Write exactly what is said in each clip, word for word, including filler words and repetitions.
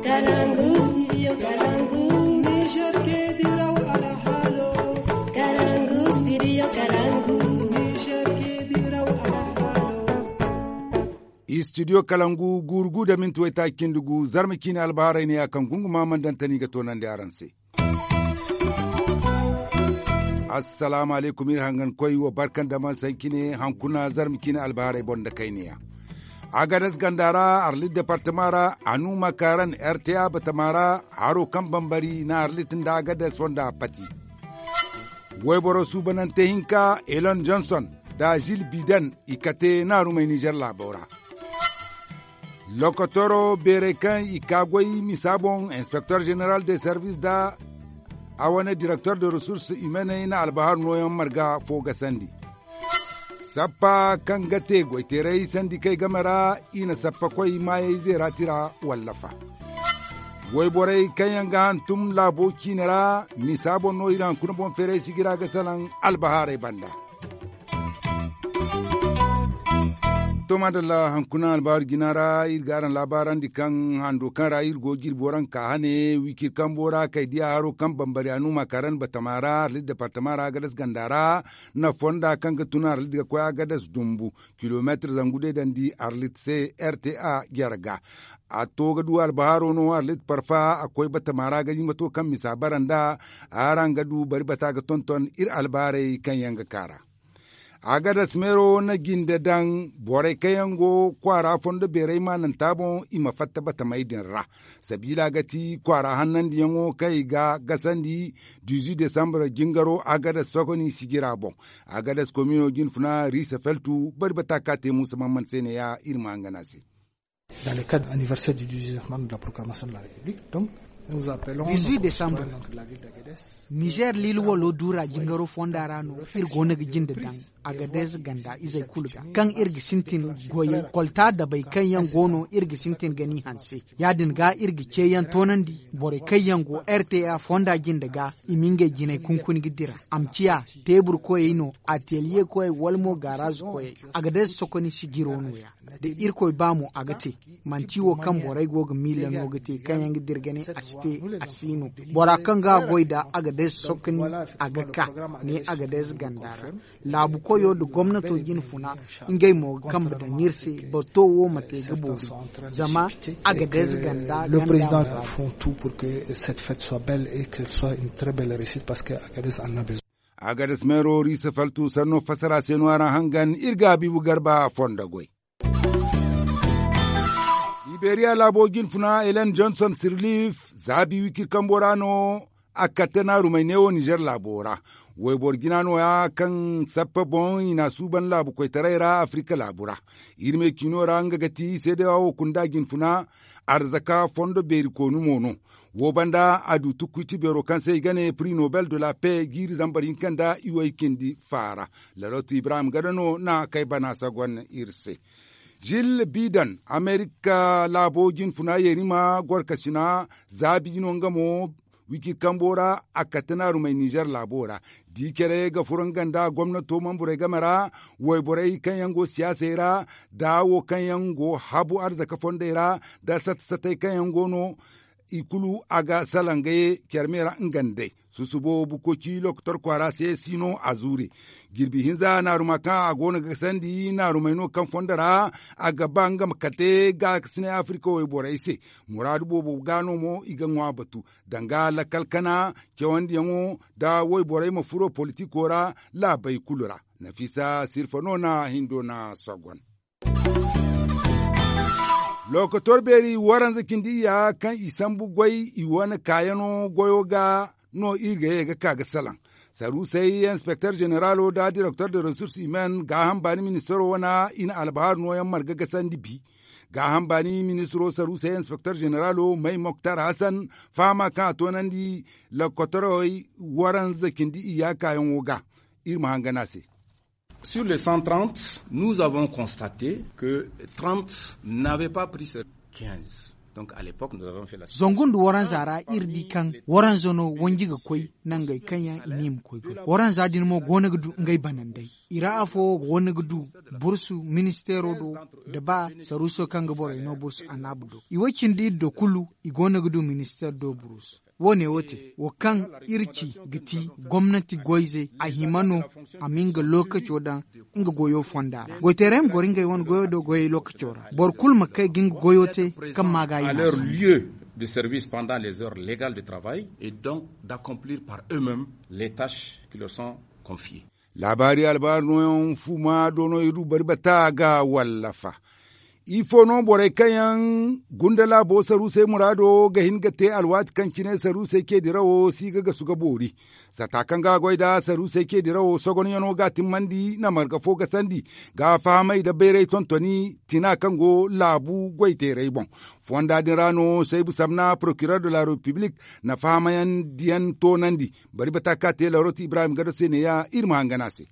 Kalangu, studio Kalangu. Niger ke diraw alhalo. Kalangu, studio Kalangu. Niger ke diraw alhalo. Studio Kalangu, guuru gu da minti waytaaci cindi gu, zarma ciine albaharay ne ya kaŋ gunguma mandantani ga toonandi araŋ se. Assalaamu alaykum, iri hangan koy wo barkan da man sankine hankuna zarma ciine albaharay boŋ da kayniya. Agadas ganda ra, arlit departama ra, anu makaran, rta batama ra, haro kaŋ bambari na arlit nda agadas fonda pati. Wayboro suubanante hinka, elon johnson da gil biden, i kate naarumey nizer laabo ra. Lokotoro beerey kaŋ i ka goy misa boŋ, inspecteur général de service da a wane directeur de ressources humaines na albahar nooyaŋ marga fo gasandi. Sappa kaŋ ga te goyteeray sandikey game ra, i na sappa koy maayey zeera tira wallafa. Wayborey kaŋ yaŋ ga hantum laabo ciine ra, misa boŋ no iri hankuna boŋ feeray sijira ga salaŋ albahaarey banda. To madalla, hankuna albaaru jina ra iri ga araŋ laabaarandi kaŋ hando kaŋ ra iri go jirbi waranka hane wikir kambo ra kay diya haro kaŋ bambari anuma karan batama ra arlit departama ra agadas ganda ra, na fonda kaŋ ga tun arlit ga koy agadas dumbu kilomeetir zangu day dandi arlit se rta jere ga. A to ga du albahaaro no arlit parfa a koy batama ra ga jimbato kaŋ misa bara nda araŋ ga du bari bata ga tonton iri albaaray kaŋ yaŋ ga kaara. Agadas meero na jinde daŋ borey kaŋ yaŋ go kwaara fondo beerey maananta boŋ i ma fatta batamey din ra. Sabiila ga ti kwaara hannandiyaŋo kaŋ i ga gasandi dizu desambre jingaro agadas sokoni sijira boŋ. Agadas komino jin funa riisa feltu bari bata ka te muusa mamman se ne ya iri ma hangan a se. Dans le cadre anniversaire du dix-huit décembre de la proclamation de la République, donc nous appelons dix-huit décembre. Nizer lil walo dura jingaro fonda ra no iri go no ga jinde daŋ agadez ganda izey kulu ga kaŋ iri ga sintin goyey kolta dabey kaŋ yaŋ go no iri ga sintin ga ni hanse. Ya- din ga iri ga ceeyaŋ toonandi borey kaŋ yaŋ go rta fonda jinde ga i ma ngey jinay kunkuni ga dira a ma ciya teebur koyey no ateliye koyey wala mo gaaraaz koyey. Agadez sokoni sijiro no- ya da irkoy ba mo a ga te. Manti wo kaŋ borey go ga miila no ga te kaŋ yaŋ ga dira ga ne a si te a si no. Bora kaŋ ga a goy da agadez sokoni a ga ka ne agadez ganda ra. Laabu koyo nda gomnato jina funa ngey mo ga kambe daŋ iri se. Bato wo ma te ga boori zama agadez ganda le président font tout pour que cette fête soit belle et qu'elle soit une très belle réussite parce que agadez en a besoin. Agadez meero riisa faltu sanno fassara se no araŋ hangan iri ga habiibu garba fondo goy. Liberiya laabo jin funa elen johnson sirlif zaabi wikir kambo ra no a katte naarumey neewo nizer laabo ra. Wayboro jina no- ya kaŋ sappe boŋ i n'a suuban laabu koytaray ra afrika laabu ra. Iri me ciino ra nga ga ti seedewa wo kunda jin funa arzaka fondo beeri koonu mo no. Wo banda a du tukkuy ti beero kaŋ se i ga ne prix nobel de la paix jiiri zambar hinka nda iway cindi faara. Lalotu ibrahim gada no na kay bana sagon iri se. Gil bidan amerika laabo jin funa yerima gorkasina zaabi no nga mo wiki kambo ra a katte naarumey nizer laabo ra. Di care ga furo nga nda gomnato manburey game ra wayborey kaŋ yaŋ go siyaasey ra da wo kaŋ yaŋ go habu arzaka fondey ra da sata satey kaŋ yaŋ go no i kulu a ga salaŋ ga ye care me ra nga nd'ey. Susubo bukoci lokotor kwaara se si no a zuure. Jirbi hinza naaruma kaŋ a go no ga sandi naarumey no kaŋ fondo ra a ga ba nga ma kate gaakasinay afirka wayborey se. Muraadu boobo ga no mo i ga ŋwa batu danga lakkal kana cawandiyaŋo da wayborey ma furo politiko ra laabey kulu ra. Nafisa sirfa no na hindo na sogon. Lokotor beeri waranza cindi iyya kaŋ i sambu goy i wane kaayano goyo ga no iri ga ye ga ka ga salaŋ. Saruusey inspecteur généralo da directeur de ressources humaines gaaham baani ministaro wana i na albahaar nooyaŋ marga gasandi bi. Gaaham baani ministaro saruusey inspecteur généralo may moktar hasan fahama kaŋ a toonandi lokotorey waranza cindi iyya kaayaŋo ga. Iri ma hangan a se. Sur les cent trente, nous avons constaté que trente n'avaient pas pris ce quinze. Zangu nda waranza ra iri di kaŋ waranza no wanji ga koy nangey kaŋ yaŋ i ne i ma koy goy. Waranza din mo go no ga du ngey banandey. I ra afo go no ga du bursu ministeero do, nda ba saruuso kaŋ ga borey no bursu annabu do. I wo cindi iri do kulu, i go no ga du ministeer do bursu. Wo- ne wo te wo kaŋ iri ci ga ti gomnanti goyze a hima no a ma nga lookaco daŋ nga goyo fonda ra. Goyteerey ma goro ngey wane goyo do goyey lookaco ra. Boro kulu ma kay ga nga goyo te kaŋ ma ga a i na a sambu. De service pendant les heures légales de travail et donc d'accomplir par eux-mêmes les tâches qui leur sont confiées. Laabaari albaari nooyaŋ fuuma do no iri du bari bata ga wallafa. Ifo no borey kaŋ yaŋ gunda laabo saruusey muraado ga hin ga te alwaati kaŋ cine saruusey ce dirawo si ga gasu ga boori. Sata kaŋ ga goy nda saruusey ce dirawo sogonyaŋo ga timmandi na marga fo gasandi ga fahamay nda bayray tontoni tina kaŋ go laabu goyteerey boŋ. Fonda din ra no saybu samna procureur de la république na fahamayandiyaŋ toonandi. Bari bata ka te larot ibrahim gado se neeya iri ma hangan a se.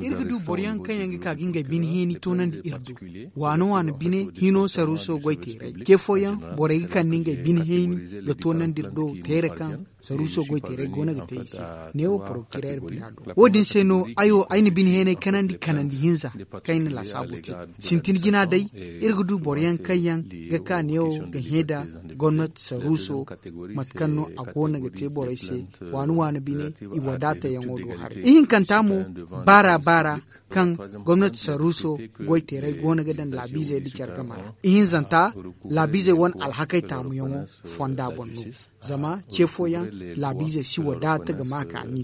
Iri ga du boroyaŋ kaŋ yaŋ ga ka ga ngey bine heeni toonandi iri do. Waano waano bine hino saruuso goyteerey ce fooyaŋ, borey ga kande ngey bine heeni ga toonandi iri do teere kaŋ saruuso goyteerey go no ga te i se. Neewo porokireer bira do wo- din se no ay wo ay na bine heeney kanandi kanandi hinza kaŋ ay na laasaabu te. Sintin jina day iri ga du boroyaŋ kaŋ yaŋ ga ka neewo ga hẽ nda gomnati saruuso mate kaŋ no a go no ga te borey se waani waani bine i wadaatayaŋo do haray ihinkanta mo baara baara kaŋ gomnati saruuso goyteerey go no ga daŋ laabiizey nda care game ra ihinzanta laabiizey wane alhakey taamuyaŋo fonda boŋ no. Zama ce fooyaŋ laabiizey si wadaata ga ma kaani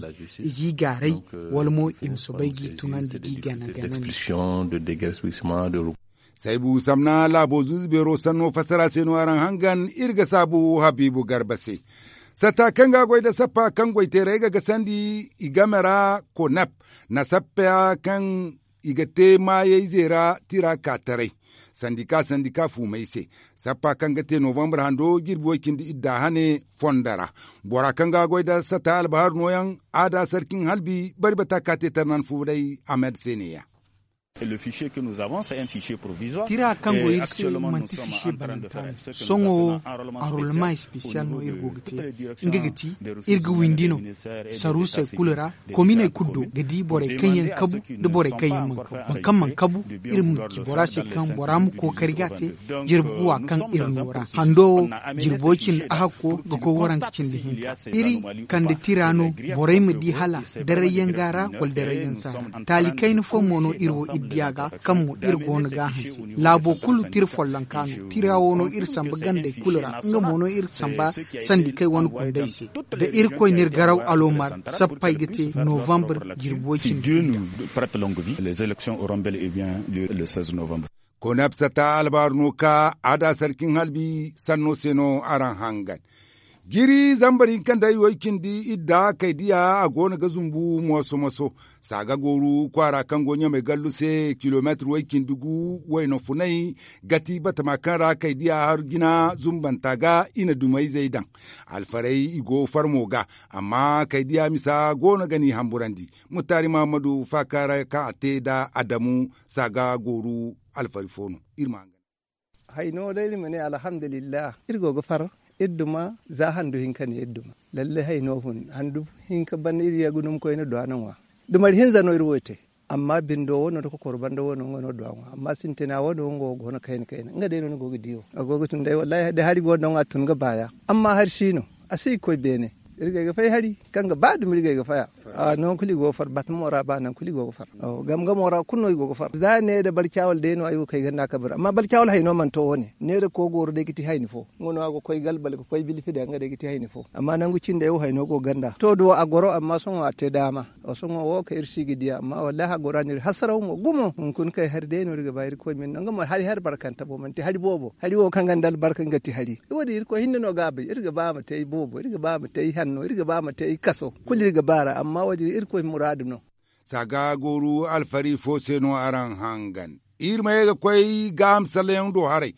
i g'i gaaray wala mo i ma soobay g'i tunandi g'i gana ganandi. Saybu samna laabo zuuzu beero sanno fassara se no araŋ hangan iri ga saabu habiibu garba se. Satta kaŋ ga goy nda sappa kaŋ goyteerey ga gasandi i game ra konep na sappa kaŋ i ga te maayey zeera tira ka taray sandika sandika fuumey se. Sappa kaŋ ga te novambar hando jirbi way cindi idda hane fondo ra. Bora kaŋ ga goy nda satta albahar nooyaŋ a da sarkin halbi bari bata ka te tarnan fuuray ahmed se neeya. Tira kaŋ go iri se manti fiise bananta no. Sohõ wo arolma espesiyal no iri go ga te. Nga ga ti iri ga windi no saruusey kulu ra. Kominey kulu do ga di borey kaŋ yaŋ kabu nda borey kaŋ yaŋ mana kabu. Boro kaŋ mana kabu iri ma ci bora se kaŋ bora ma kookari ga a te. Jirbi guwa kaŋ iri no ra hando wo jirbo cindi ahakko ga koy waranka cindi hinka. Iri kande tira no borey ma di hala darayyaŋ ga ra wala darayyaŋ saara. Taali kayna fo mo no iri wo iri diya ga kaŋ mo iri go no ga a hanse. Laabo kulu tira follonka no tira wo no iri samba gandey kulu ra nga mo no iri samba sandikey wane kundey se. Da irkoy n'iri garaw alomar sappey ga te novambar jirbi way cindi. Konep satta albaaru no ka a da sarkin halbi sanno se no araŋ hangan. Jiri zambar hinka nda ay way cindi idda kay diya a go no ga zumbu moso moso. Saaga gooru kwaara kaŋ go ɲamay gallu se kilomeetir way cindi gu wayna funay ga ti batama kaŋ ra kay diya haru jina zumbanta ga i na dumayzey daŋ. Alfarey i go farmo ga amma kay diya misa go no ga n'i hamburandi. Muttaari mahammadu faakaara kaŋ a te nda adamu saaga gooru alfari fo no. Iri ma hangan. Hayno day iri ma ne alhamdulillah iri go ga far. Iri duma za handu hinka ne iri duma. Lalle hayno fun handu hinka banda iri ya ga duma koyne duwa no ŋwa. Dumari hinza no iri wo te. Amma bindo wo no da kokoro banda wo no nga no duwa ŋwa amma sintina wo no nga wo go no kayna kayna nga day no ni go ga di wo a go ga tun day wallahi da hari go no nga tun ga baya. Amma hari si no a si ga koy beene. Iri ga ay ga fay hari kaŋ ga ba dumi iri ga ay ga faya. Nangu kulu i go ga far batamo ra ba nangu kulu i go ga far. Gam gamo ra kulu no i go ga far za ne da barcawal day no ay go ga kay ganda kabir amma barcawal hayno mana to wo- ne ne da kogooro day ga ti hayni fo. Nga no a go ga koy galbal ga koy bilfida nga day ga ti hayni fo amma nangu cindey wo hayno go ganda to da wo a goro amma sohõ a te daama. Sohõ wo kaŋ iri si ga diya amma wallahi a goro a n'iri hasaraw mo gumo hunkuna kay hari day no iri ga ba irkoy ma iri no nga mo hari hari barkante bo manti hari boobo hari wo kaŋ ganda albarka nga ti hari. Wo- din irkoy hinne no ga a bay iri ga ba a ma te ay boobo iri ga ba a ma te ay hanno iri ga ba a ma te ay kaso. Kulu iri ga ba a ra amma wo- din irkoy muraadu no. Saaga gooru alfari fo se no araŋ hangan. Iri ma ye ga koy gaaham sallayyaŋ do haray.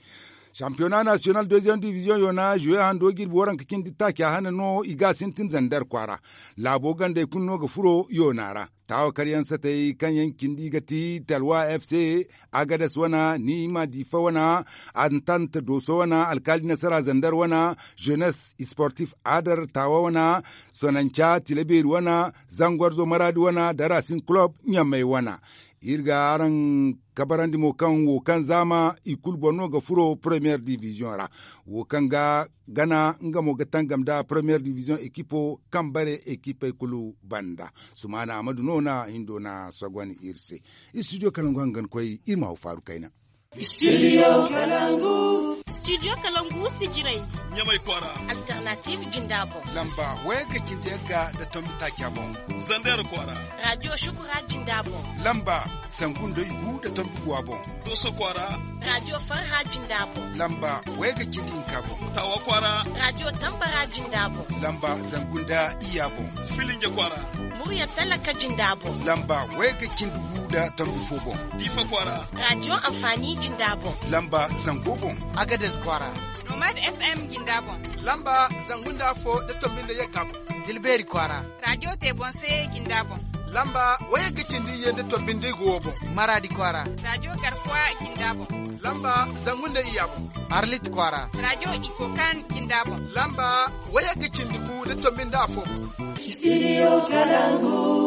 Sampiyona nasiyonal deziyeem diviziyoŋ yoona zuwe hando jirbi waranka cindi taaca hane no i ga a sintin zandar kwaara. Laabo gandey kulu no ga furo yoona ra. Taawa karyaŋ satey kaŋ yaŋ cindi ga ti talwa f c, agades wana, niima diifa wana, antant dooso wana, alkaali nasara zandar wana, zenes sportif adar taawa wana, sonanca tilabeeri wana, zangwarzo maraadi wana da racing kulob ɲamey wana. Iri ga araŋ kabarandi mo kaŋ wo kaŋ zaama i kulu boŋ no ga furo premiyeer diviziyoŋ ra. Wo kaŋ ga gana nga mo ga tangam nda premiyeer diviziyoŋ ekipo kaŋ bare ekipey kulu banda. Sumaana amadu no na hindo na sogon iri se. Istidiyo kalangu hangan koy iri ma haw faaru kayna. Istidiyo kalangu. Istidiyo kalangu sijirey. Ɲamay kwaara. Alternatiiv jinda boŋ. Lamba wayga cindi yagga nda tombi taaca boŋ. Zandar kwaara. Raadiyo shukura jinda boŋ. Lamba zangu nda igu nda tombi guwa boŋ. Dooso kwaara. Raadiyo farha jinda boŋ. Lamba wayga cindi hinka boŋ. Taawa kwaara. Raadiyo tambara jinda boŋ. Lamba zangu nda iyya boŋ. Filinje kwaara. Murya talaka jinda boŋ. Lamba wayga cindi gu nda tombi fo boŋ. Diifa kwaara. Raadiyo anfaani jinda boŋ. Lamba zango boŋ. Agades kwaara. Nomad f m jinda boŋ. Lamba zangu nda afo nda tombi nda yagga boŋ. Tilbeeri kwaara. Raadiyo te boŋ se jinda boŋ. Lamba wayagga cindi iyye nda tombi nda igu wo boŋ. Maraadi kwaara. Raadiyo garkuwa jinda boŋ. Lamba zangu nda iyya boŋ. Arlit kwaara. Raadiyo ikokan jinda boŋ. Lamba wayagga cindi gu nda tombi nda afo boŋ. Istidiyo kalangu.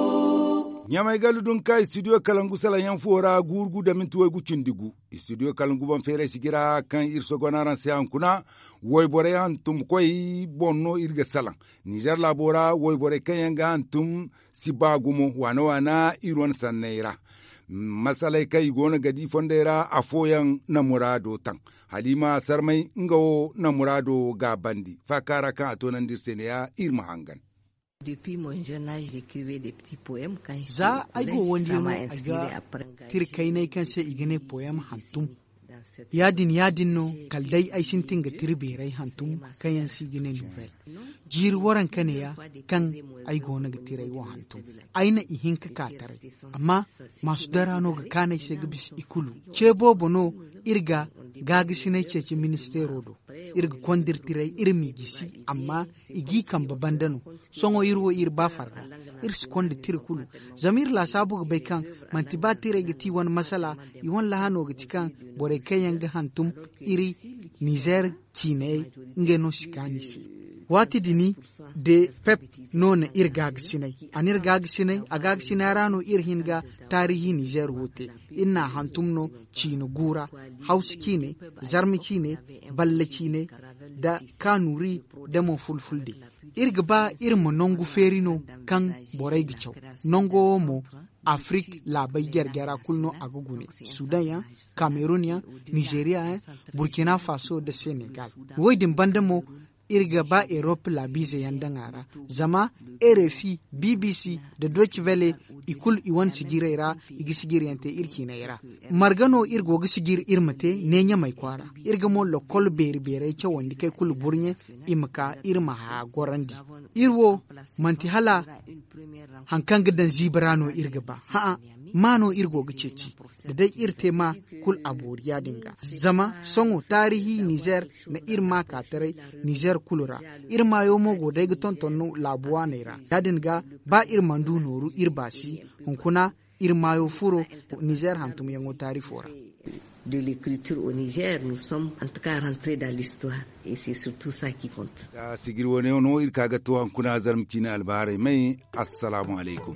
Ɲamay gallu dunka istidiyo kalangu salaŋ yaŋ fuwo ra guuru gu da minti waygu cindi gu. Istidiyo kalangu boŋ feeray sijira kaŋ iri sogon araŋ se hunkuna. Wayborey hantumkoy boŋ no iri ga salaŋ. Nizer laabo ra wayborey kaŋ yaŋ ga hantum si ba gumo waana waana iri wane sanney ra. Masaley kaŋ i go no ga di fondey ra afooyaŋ na muraado taŋ. Haliima sarmay nga wo na muraado gaabandi faaka ra kaŋ a toonandi iri se ne- ya iri ma hangan. Za ay go wandiyano ay ga tira kaynay kaŋ se i ga ne poyam hantum. Ya- din ya- din no kala day ay sintin ga tira beeray hantum kaŋ yaŋ se i ga ne novel. Jiiri waranka ne- ya kaŋ ay go no ga tira ay wo hantum. Ay na ihinka ka taray. Amma maasu dara no ga kaanu ay se ga bisa i kulu. Ce boobo no iri ga gaagasinay ceeci ministeero do. Iri ga konda iri tiray iri m'i gisi amma i g'i kambe banda no. Sohõ iri wo iri ba farga. Iri si konda tira kulu. Zama iri laasaabu ga bay kaŋ manti ba tiray ga ti wane masala. I wane lahano ga ti kaŋ borey kaŋ yaŋ ga hantum iri nizer ciiney ngey no si kaanu i se. Waati din de pep no na iri gaagasinay. A na iri gaagasinay a gaagasinay ra no iri hin ga taarihi nizer wo te. Iri n'a hantum no ciine gu ra, hawsa ciine, zarma ciine, balla ciine, nda kaanuri, nda mo fulfulde. Iri ga ba iri ma nangu feeri no kaŋ borey ga caw. Nango wo mo afirik laabey jare-jara kulu no a ga gune, sudan yaŋ, kamerun yaŋ, nizeriya yaŋ, burkina faso nda senegal. Wo- din banda mo iri ga ba erop laabiize yaŋ daŋ a ra. Zama rfi, bbc, nda doci vele, i kulu i wane sijirey ra. I ga sijiryaŋ te iri ciiney ra. Marga no iri go ga sijir iri ma te ne ɲamay kwaara. Iri ga mo lokol beeri beerey cawandi kay kulu burɲe, i ma ka iri ma haya gorandi. Iri wo manti hala hari kaŋ ga daŋ ziibi ra no iri ga ba. Hã'ã, maa no iri go ga ceeci. Da day iri te maa, kulu a boori ya- din ga. Zama sohõ taarihi nizer na iri maa ka taray nizer kulu ra. Iri maayo mo go day ga tonton no laabu waaney ra. Ya- din ga, ba iri mana du nooru iri baasi, hunkuna iri maayo furo nizer hantumyaŋo taarifo ra. De l'écriture au niger nous sommes en tout cas rentrés dans l'histoire. Et c'est surtout ça qui compte. Sijir wane no iri ka ga to hunkuna zarma ciine albaharay may. Assalaamu alaykum.